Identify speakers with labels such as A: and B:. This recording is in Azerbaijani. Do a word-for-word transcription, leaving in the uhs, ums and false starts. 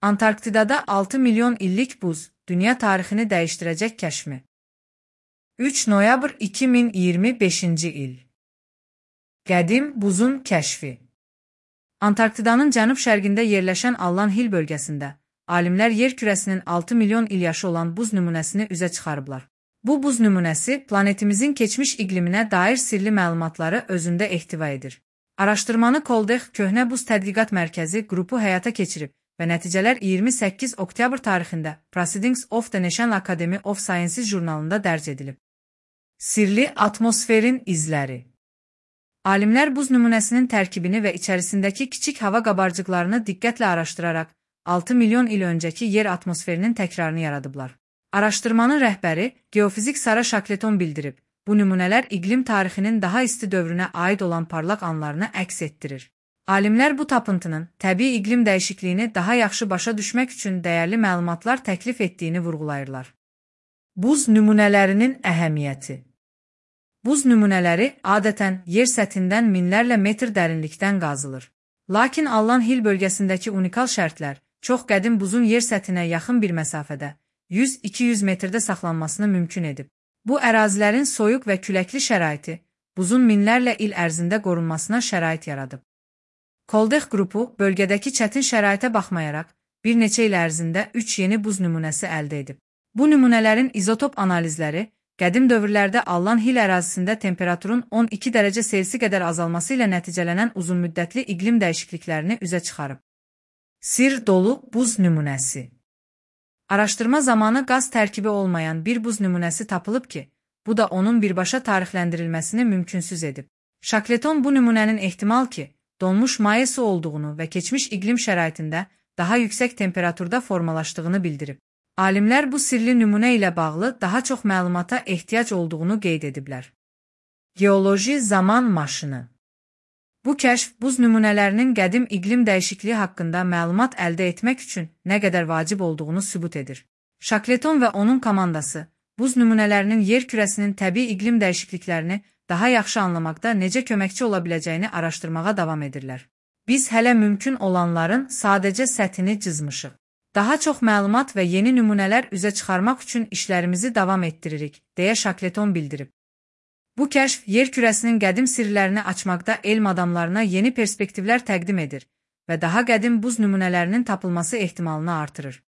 A: Antarktidada altı milyon illik buz, dünya tarixini dəyişdirəcək kəşfi. üç noyabr iki min iyirmi beşinci il. Qədim buzun kəşfi. Antarktidanın cənub-şərqində yerləşən Allan Hill bölgəsində alimlər yer kürəsinin altı milyon il yaşı olan buz nümunəsini üzə çıxarıblar. Bu buz nümunəsi planetimizin keçmiş iqliminə dair sirli məlumatları özündə ehtiva edir. Araşdırmanı Koldex Köhnə Buz Tədqiqat Mərkəzi qrupu həyata keçirib və nəticələr iyirmi səkkiz oktyabr tarixində Proceedings of the National Academy of Sciences jurnalında dərc edilib. Sirli atmosferin izləri. Alimlər buz nümunəsinin tərkibini və içərisindəki kiçik hava qabarcıqlarını diqqətlə araşdıraraq altı milyon il öncəki yer atmosferinin təkrarını yaradıblar. Araşdırmanın rəhbəri geofizik Sara Shackleton bildirib, bu nümunələr iqlim tarixinin daha isti dövrünə aid olan parlaq anlarını əks etdirir. Alimlər bu tapıntının təbii iqlim dəyişikliyini daha yaxşı başa düşmək üçün dəyərli məlumatlar təklif etdiyini vurğulayırlar. Buz nümunələrinin əhəmiyyəti. Buz nümunələri adətən yer səthindən minlərlə metr dərinlikdən qazılır. Lakin Allan Hill bölgəsindəki unikal şərtlər çox qədim buzun yer səthinə yaxın bir məsafədə yüz iki yüz metrdə saxlanmasını mümkün edib. Bu ərazilərin soyuq və küləkli şəraiti buzun minlərlə il ərzində qorunmasına şərait yaradıb. Koldex qrupu bölgədəki çətin şəraitə baxmayaraq bir neçə il ərzində üç yeni buz nümunəsi əldə edib. Bu nümunələrin izotop analizləri qədim dövrlərdə Allan Hill ərazisində temperaturun on iki dərəcə Selsi qədər azalması ilə nəticələnən uzunmüddətli iqlim dəyişikliklərini üzə çıxarıb. Sir dolu buz nümunəsi. Araşdırma zamanı qaz tərkibi olmayan bir buz nümunəsi tapılıb ki, bu da onun birbaşa tarixləndirilməsini mümkünsüz edib. Shackleton bu nümunənin ehtimal ki, donmuş maye su olduğunu və keçmiş iqlim şəraitində daha yüksək temperaturda formalaşdığını bildirib. Alimlər bu sirli nümunə ilə bağlı daha çox məlumata ehtiyac olduğunu qeyd ediblər. Geoloji zaman maşını. Bu kəşf buz nümunələrinin qədim iqlim dəyişikliyi haqqında məlumat əldə etmək üçün nə qədər vacib olduğunu sübut edir. Shackleton və onun komandası buz nümunələrinin yer kürəsinin təbii iqlim dəyişikliklərini daha yaxşı anlamaqda necə köməkçi ola biləcəyini araşdırmağa davam edirlər. Biz hələ mümkün olanların sadəcə səthini cızmışıq. Daha çox məlumat və yeni nümunələr üzə çıxarmaq üçün işlərimizi davam etdiririk, deyə Shackleton bildirib. Bu kəşf yer kürəsinin qədim sirlərini açmaqda elm adamlarına yeni perspektivlər təqdim edir və daha qədim buz nümunələrinin tapılması ehtimalını artırır.